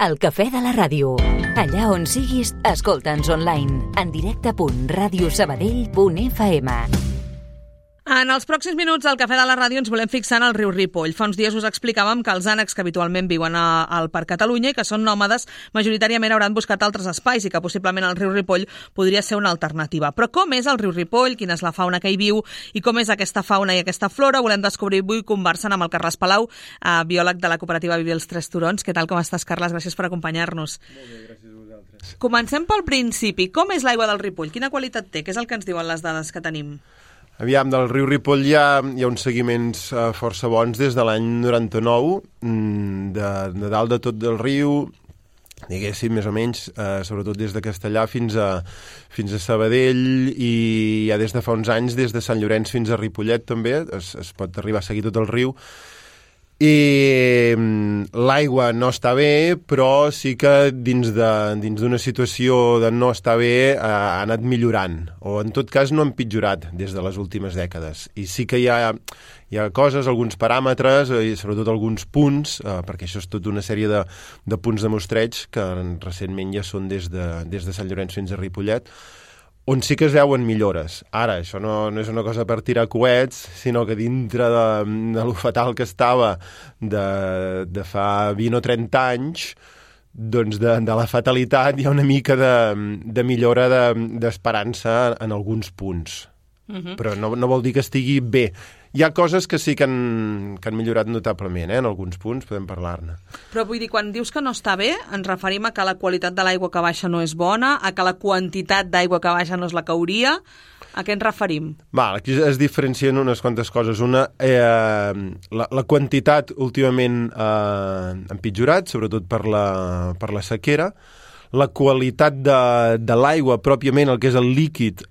El cafè de la ràdio. Allà on siguis, escolta'ns online. En directe.radiosabadell.fm. En els pròxims minuts al Cafè de la Ràdio ens volem fixar en el riu Ripoll. Fa uns dies us explicàvem que els ànecs que habitualment viuen al Parc Catalunya i que són nòmades majoritàriament hauran buscat altres espais i que possiblement el riu Ripoll podria ser una alternativa. Però com és el riu Ripoll, quina és la fauna que hi viu i com és aquesta fauna i aquesta flora, volem descobrir avui conversant amb el Carles Palau, biòleg de la cooperativa Viver els Tres Turons. Què tal, com estàs, Carles? Gràcies per acompanyar-nos. Molt bé, gràcies a vosaltres. Comencem pel principi. Com és l'aigua del Ripoll? Quina qualitat té? Què és el que ens diuen les dades que tenim? Aviam, del riu Ripoll hi ha uns seguiments força bons des de l'any 99, de dalt de tot del riu, diguéssim, més o menys, sobretot des de Castellà fins a Sabadell, i ja des de fa uns anys, des de Sant Llorenç fins a Ripollet també, es pot arribar a seguir tot el riu. I l'aigua no està bé, però sí que dins d'una situació de no estar bé ha anat millorant, o en tot cas no ha empitjorat des de les últimes dècades. I sí que hi ha coses, alguns paràmetres i sobretot alguns punts, perquè això és tota una sèrie de punts de mostreig que recentment ja són des de Sant Llorenç fins a Ripollet, on sí que es veuen millores. Ara, això no és una cosa per tirar coets, sinó que dintre de lo fatal que estava de fa 20 o 30 anys, doncs de la fatalitat hi ha una mica de millora d'esperança en alguns punts. Però no vol dir que estigui bé. Hi ha coses que sí que han millorat notablement, en alguns punts podem parlar-ne. Però vull dir, quan dius que no està bé, ens referim a que la qualitat de l'aigua que baixa no és bona, a que la quantitat d'aigua que baixa no és la que hauria. A què ens referim? Aquí es diferencien unes quantes coses. Una, la quantitat últimament ha empitjorat, sobretot per la sequera. La qualitat de l'aigua, pròpiament, el que és el líquid,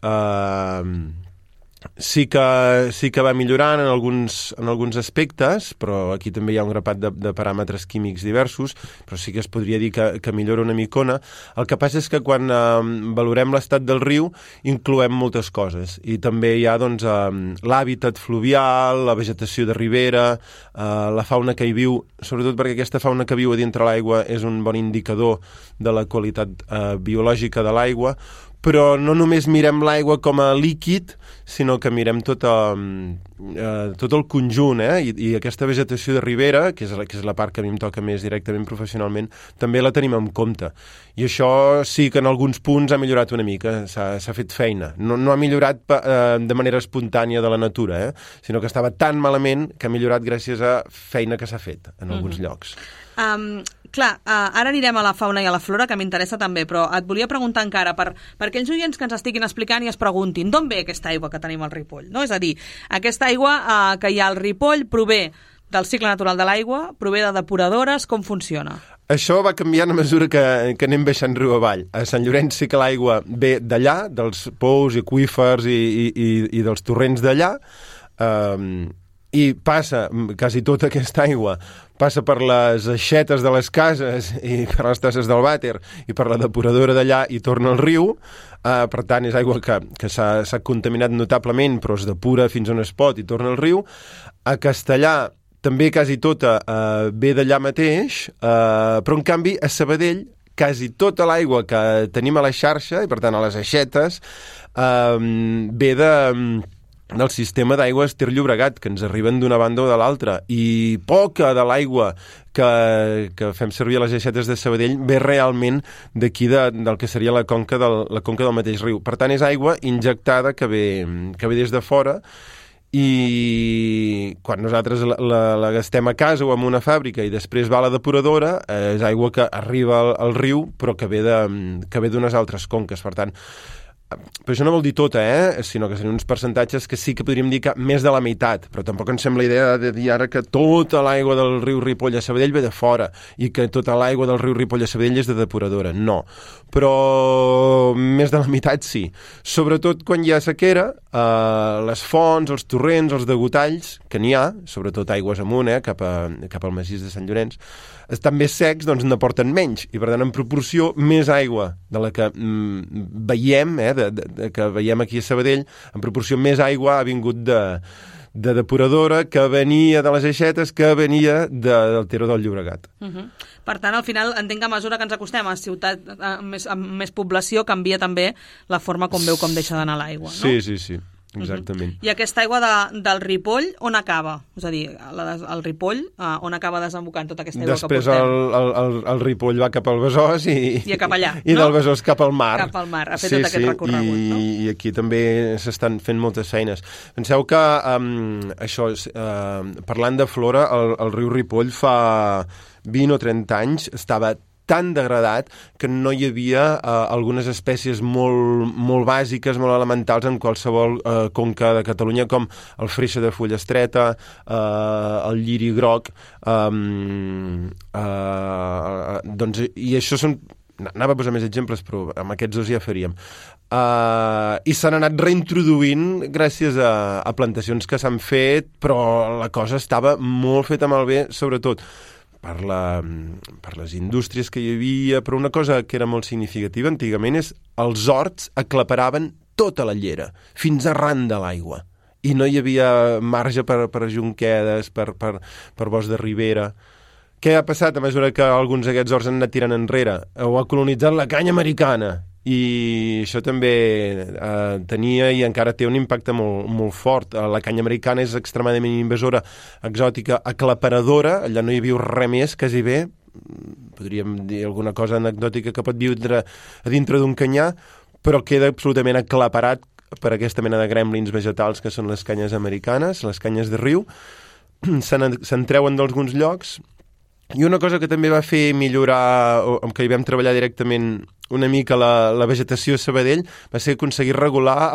sí que va millorant en alguns aspectes, però aquí també hi ha un grapat de paràmetres químics diversos, però sí que es podria dir que millora una micona. El que passa és que quan valorem l'estat del riu incloem moltes coses, i també hi ha l'hàbitat fluvial, la vegetació de ribera, la fauna que hi viu, sobretot perquè aquesta fauna que viu a dintre l'aigua és un bon indicador de la qualitat biològica de l'aigua. Però no només mirem l'aigua com a líquid, sinó que mirem tot el conjunt, i aquesta vegetació de ribera, que és la part que a mi em toca més directament professionalment, també la tenim en compte. I això sí que en alguns punts ha millorat una mica, s'ha fet feina. No ha millorat de manera espontània de la natura, sinó que estava tan malament que ha millorat gràcies a feina que s'ha fet en alguns llocs. Clar, ara anirem a la fauna i a la flora, que m'interessa també, però et volia preguntar encara, per aquells oients que ens estiguin explicant i es preguntin d'on ve aquesta aigua que tenim al Ripoll, no? És a dir, aquesta aigua que hi ha al Ripoll prové del cicle natural de l'aigua, prové de depuradores, com funciona? Això va canviant a mesura que anem baixant riu avall. A Sant Llorenç sí que l'aigua ve d'allà, dels pous i aqüífers i dels torrents d'allà, i passa, quasi tota aquesta aigua passa per les aixetes de les cases i per les tasses del vàter i per la depuradora d'allà i torna al riu. Per tant, és aigua que s'ha contaminat notablement, però es depura fins on es pot i torna al riu. A Castellà també quasi tota ve d'allà mateix, però en canvi a Sabadell quasi tota l'aigua que tenim a la xarxa, i per tant a les aixetes, ve del sistema d'aigües Ter Llobregat, que ens arriben d'una banda o de l'altra, i poca de l'aigua que fem servir a les aixetes de Sabadell ve realment d'aquí, del que seria la conca del mateix riu. Per tant, és aigua injectada que ve des de fora, i quan nosaltres la gastem a casa o en una fàbrica i després va a la depuradora, és aigua que arriba al riu però que ve d'unes altres conques. Per tant, però això no vol dir tota, sinó que serien uns percentatges que sí que podríem dir que més de la meitat, però tampoc ens sembla idea de dir ara que tota l'aigua del riu Ripoll a Sabadell ve de fora i que tota l'aigua del riu Ripoll a Sabadell és de depuradora. No, però més de la meitat sí. Sobretot quan hi ha sequera, les fonts, els torrents, els degotalls, que n'hi ha, sobretot aigües amunt, cap al massís de Sant Llorenç, estan més secs, doncs n'aporten menys, i per tant en proporció més aigua de la que veiem, que veiem aquí a Sabadell, en proporció més aigua ha vingut de depuradora que venia de les Aixetes, que venia del Ter del Llobregat. Per tant, al final, entenc que a mesura que ens acostem a ciutat amb més població, canvia també la forma com veu com deixa d'anar l'aigua, no? Sí, exactament. I aquesta aigua del Ripoll, on acaba? És a dir, el Ripoll, on acaba desembocant tota aquesta aigua Després que portem? el Ripoll va cap al Besòs I cap allà, i del Besòs cap al mar. Cap al mar, ha fet tot aquest recorregut, no? I aquí també s'estan fent moltes feines. Penseu que parlant de flora, el riu Ripoll fa 20 o 30 anys estava tan degradat que no hi havia algunes espècies molt bàsiques, molt elementals en qualsevol conca de Catalunya, com el freixe de fulla estreta, el lliri groc, i això són... Anava a posar més exemples, però amb aquests dos ja faríem. I s'han anat reintroduint gràcies a plantacions que s'han fet, però la cosa estava molt feta malbé, sobretot per les indústries que hi havia, però una cosa que era molt significativa antigament és els horts aclaparaven tota la llera, fins arran de l'aigua. I no hi havia marge per jonquedes, per bosc de ribera. Què ha passat a mesura que alguns d'aquests horts han anat tirant enrere? Ho ha colonitzat la canya americana. I això també tenia i encara té un impacte molt fort. La canya americana és extremadament invasora, exòtica, aclaparadora, allà no hi viu res més, quasi bé, podríem dir alguna cosa anecdòtica que pot viure a dintre d'un canyar, però queda absolutament aclaparat per aquesta mena de gremlins vegetals que són les canyes americanes, les canyes de riu, se'n treuen d'alguns llocs. I una cosa que també va fer millorar, o amb què hi vam treballar directament una mica la vegetació a Sabadell, va ser aconseguir regular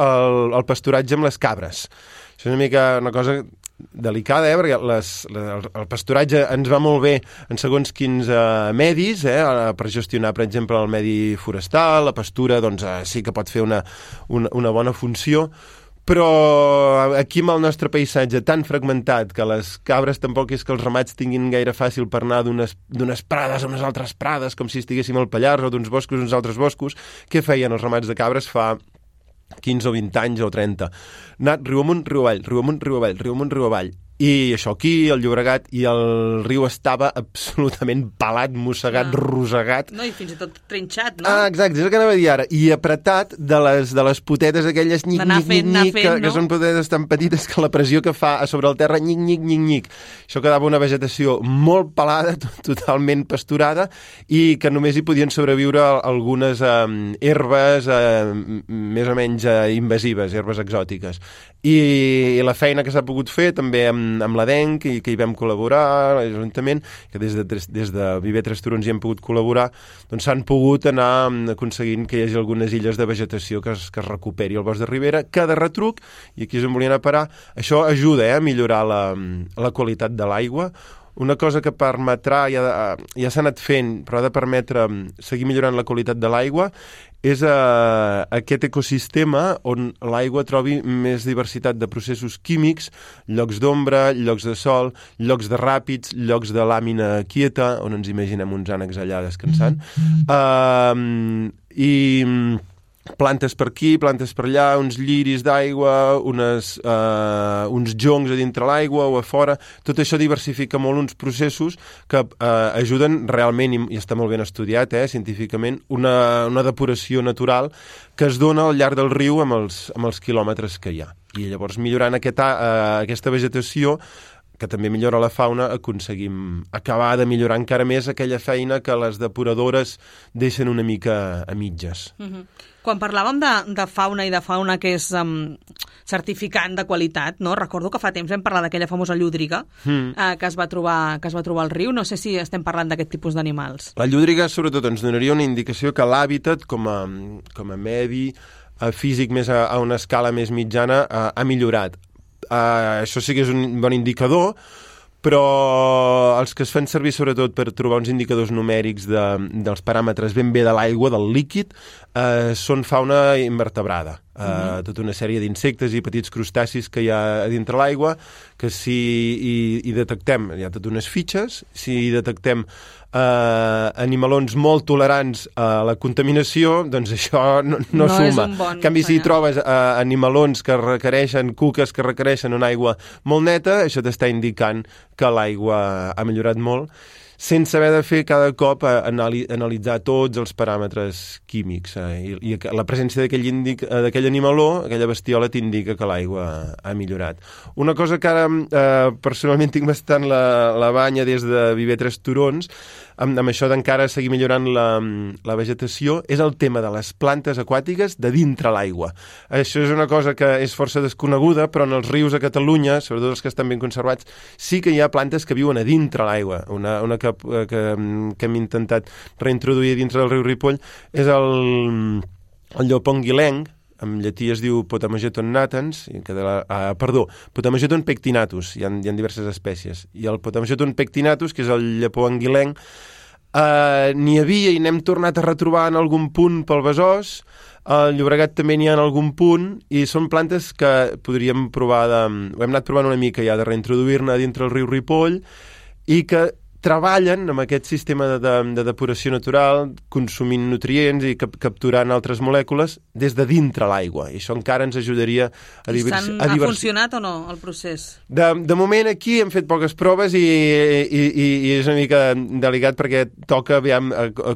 el pasturatge amb les cabres. Això és una mica una cosa delicada, perquè el pasturatge ens va molt bé en segons quins medis, per gestionar, per exemple, el medi forestal, la pastura, doncs sí que pot fer una bona funció, però aquí amb el nostre paisatge tan fragmentat que les cabres tampoc és que els ramats tinguin gaire fàcil per anar d'unes prades a unes altres prades, com si estiguéssim al Pallars, o d'uns boscos a uns altres boscos, què feien els ramats de cabres fa 15 o 20 anys o 30? Anar riu amunt, riu avall, riu amunt, riu avall, riu amunt, riu avall. I això aquí, el Llobregat, i el riu estava absolutament pelat, mossegat, rosegat. No, i fins i tot trinxat, no? Exacte, és el que anava a dir ara. I apretat de les potetes aquelles nyic, que són potetes tan petites que la pressió que fa a sobre el terra, nyic. Això quedava una vegetació molt pelada, totalment pasturada, i que només hi podien sobreviure algunes herbes més o menys invasives, herbes exòtiques. I la feina que s'ha pogut fer també amb l'ADENC, que hi vam col·laborar, l'Ajuntament, que des de Viver Tres Turons hi hem pogut col·laborar, doncs s'han pogut anar aconseguint que hi hagi algunes illes de vegetació que es recuperi el bosc de ribera, que de retruc, i aquí és on volien a parar, això ajuda a millorar la qualitat de l'aigua. Una cosa que permetrà, ja s'ha anat fent, però ha de permetre seguir millorant la qualitat de l'aigua, és aquest ecosistema on l'aigua trobi més diversitat de processos químics, llocs d'ombra, llocs de sol, llocs de ràpids, llocs de làmina quieta, on ens imaginem uns ànecs allà descansant, i plantes per aquí, plantes per allà, uns lliris d'aigua, uns joncs a dintre l'aigua o a fora. Tot això diversifica molt uns processos que ajuden realment, i està molt ben estudiat científicament, una depuració natural que es dona al llarg del riu amb els quilòmetres que hi ha. I llavors, millorant aquesta vegetació, que també millora la fauna, aconseguim acabar de millorar encara més aquella feina que les depuradores deixen una mica a mitges. Quan parlàvem de fauna i de fauna que és certificant de qualitat, no? Recordo que fa temps vam parlar d'aquella famosa llúdriga que es va trobar al riu. No sé si estem parlant d'aquest tipus d'animals. La llúdriga, sobretot, ens donaria una indicació que l'hàbitat, com a medi físic més a una escala més mitjana, ha millorat. Això sí que és un bon indicador, però els que es fan servir sobretot per trobar uns indicadors numèrics dels paràmetres ben bé de l'aigua, del líquid, són fauna invertebrada. tota una sèrie d'insectes i petits crustacis que hi ha a dintre l'aigua, que si hi detectem, hi ha totes unes fitxes, si hi detectem animalons molt tolerants a la contaminació, doncs això no suma. És un bon en canvi, si hi trobes animalons que requereixen, cuques que requereixen una aigua molt neta, això t'està indicant que l'aigua ha millorat molt, sense haver de fer cada cop analitzar tots els paràmetres químics. I la presència d'aquell animaló, aquella bestiola, t'indica que l'aigua ha millorat. Una cosa que ara personalment tinc bastant la banya des de viver Tres Turons, amb això d'encara seguir millorant la vegetació, és el tema de les plantes aquàtiques de dintre l'aigua. Això és una cosa que és força desconeguda, però en els rius a Catalunya, sobretot els que estan ben conservats, sí que hi ha plantes que viuen a dintre l'aigua. Una que hem intentat reintroduir dintre del riu Ripoll és el llop anguilenc, en llatí es diu Potamogeton natans, Potamogeton pectinatus, hi ha diverses espècies, i el Potamogeton pectinatus, que és el llepó anguilenc, n'hi havia i n'hem tornat a retrobar en algun punt pel Besòs, al Llobregat també n'hi ha en algun punt, i són plantes que podríem provar ho hem anat provant una mica ja de reintroduir-ne dintre el riu Ripoll, i que treballen amb aquest sistema de depuració natural, consumint nutrients i capturant altres molècules des de dintre l'aigua. I això encara ens ajudaria a diversificar. Ha funcionat o no, el procés? De moment aquí hem fet poques proves i és una mica delicat perquè toca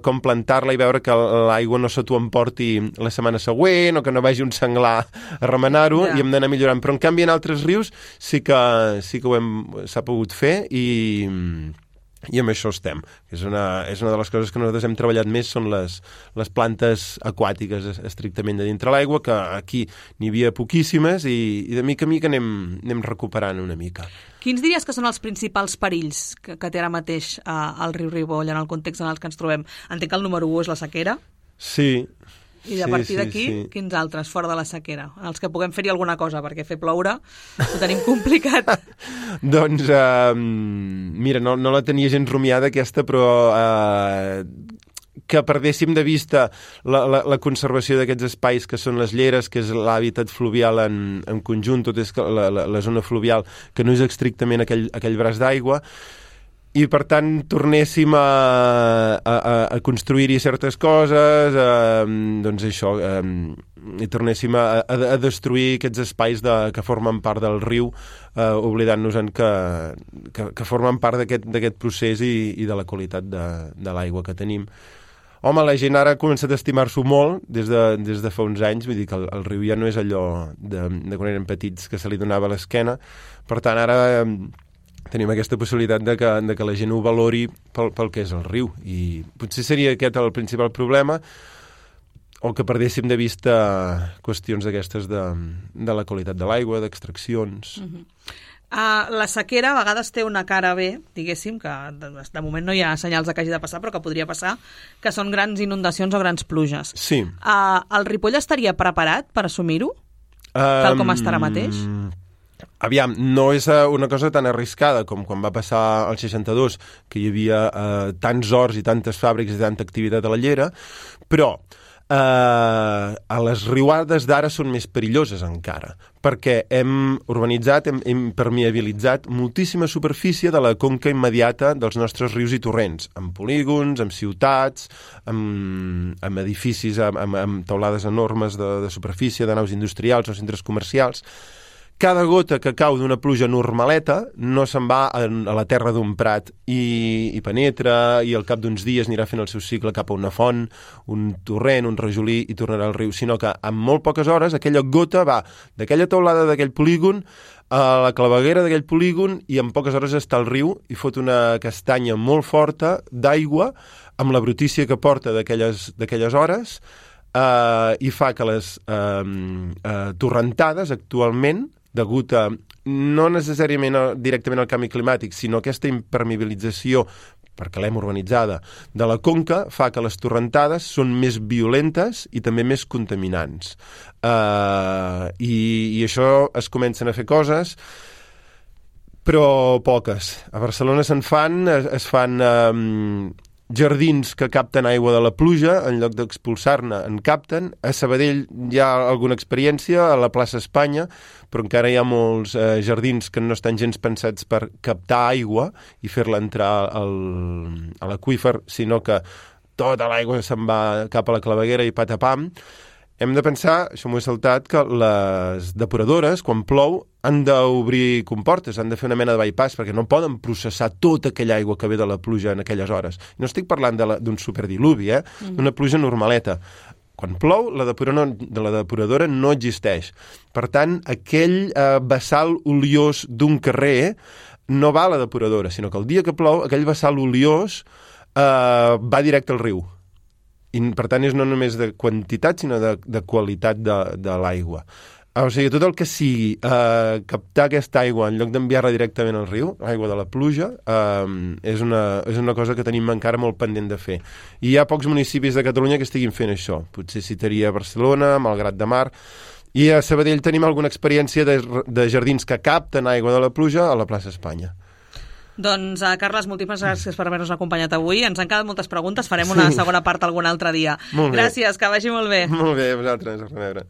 com plantar-la i veure que l'aigua no se t'ho emporti la setmana següent o que no vagi un senglar a remenar-ho, i hem d'anar millorant. Però en canvi en altres rius sí que s'ha pogut fer i amb això estem. És una de les coses que nosaltres hem treballat més, són les plantes aquàtiques estrictament de dintre l'aigua, que aquí n'hi havia poquíssimes i de mica en mica anem recuperant una mica. Quins diries que són els principals perills que té ara mateix al riu Ripoll en el context en el que ens trobem? Entenc que el número 1 és la sequera. Sí. I a partir d'aquí, quins altres, fora de la sequera? En els que puguem fer-hi alguna cosa, perquè fer ploure ho tenim complicat. Doncs, mira, no la tenia gens rumiada aquesta, però que perdéssim de vista la conservació d'aquests espais que són les lleres, que és l'hàbitat fluvial en conjunt, tot és la zona fluvial, que no és estrictament aquell braç d'aigua, i per tant tornéssim a construir-hi certes coses, doncs això, i tornéssim a destruir aquests espais que formen part del riu, oblidant-nos que formen part d'aquest procés i de la qualitat de l'aigua que tenim. Home, la gent ara ha començat a estimar-s'ho molt des de fa uns anys, vull dir que el riu ja no és allò de quan eren petits que se li donava a l'esquena, per tant ara tenim aquesta possibilitat de que la gent ho valori pel que és el riu, i potser seria aquest el principal problema, o que perdéssim de vista qüestions d'aquestes de la qualitat de l'aigua, d'extraccions. La sequera a vegades té una cara bé, diguéssim, que de moment no hi ha senyals que hagi de passar, però que podria passar, que són grans inundacions o grans pluges. Sí. El Ripoll estaria preparat per assumir-ho, tal com està ara mateix? Aviam, no és una cosa tan arriscada com quan va passar al 62, que hi havia tants horts i tantes fàbriques i tanta activitat a la llera, però a les riuades d'ara són més perilloses encara, perquè hem urbanitzat, hem impermeabilitzat moltíssima superfície de la conca immediata dels nostres rius i torrents, amb polígons, amb ciutats, amb edificis, amb teulades enormes de superfície, de naus industrials o centres comercials. Cada gota que cau d'una pluja normaleta no se'n va a la terra d'un prat i penetra, i al cap d'uns dies anirà fent el seu cicle cap a una font, un torrent, un rajolí, i tornarà al riu, sinó que en molt poques hores aquella gota va d'aquella teulada d'aquell polígon a la claveguera d'aquell polígon, i en poques hores està al riu i fot una castanya molt forta d'aigua amb la brutícia que porta d'aquelles hores, i fa que les torrentades actualment, degut a no necessàriament directament al canvi climàtic, sinó aquesta impermeabilització, perquè l'hem urbanitzada, de la conca, fa que les torrentades són més violentes i també més contaminants. I això es comencen a fer coses, però poques. A Barcelona es fan jardins que capten aigua de la pluja, en lloc d'expulsar-ne, en capten. A Sabadell hi ha alguna experiència, a la plaça Espanya, però encara hi ha molts jardins que no estan gens pensats per captar aigua i fer-la entrar a l'aqüífer, sinó que tota l'aigua se'n va cap a la claveguera i patapam. Hem de pensar, això m'ho he saltat, que les depuradores, quan plou, han d'obrir comportes, han de fer una mena de bypass, perquè no poden processar tota aquella aigua que ve de la pluja en aquelles hores. No estic parlant d'un superdiluvi, d'una pluja normaleta. Quan plou, la depuradora no existeix. Per tant, aquell vessal oliós d'un carrer no va a la depuradora, sinó que el dia que plou, aquell vessal oliós va directe al riu. I, per tant, és no només de quantitat, sinó de qualitat de l'aigua. O sigui, tot el que sigui captar aquesta aigua en lloc d'enviar-la directament al riu, aigua de la pluja, és una cosa que tenim encara molt pendent de fer. I hi ha pocs municipis de Catalunya que estiguin fent això. Potser citaria Barcelona, Malgrat de Mar, i a Sabadell tenim alguna experiència de jardins que capten aigua de la pluja a la plaça Espanya. Doncs, Carles, moltíssimes gràcies per haver-nos acompanyat avui. Ens han quedat moltes preguntes, farem una segona part algun altre dia. Gràcies, que vagi molt bé. Molt bé, vosaltres, a reveure.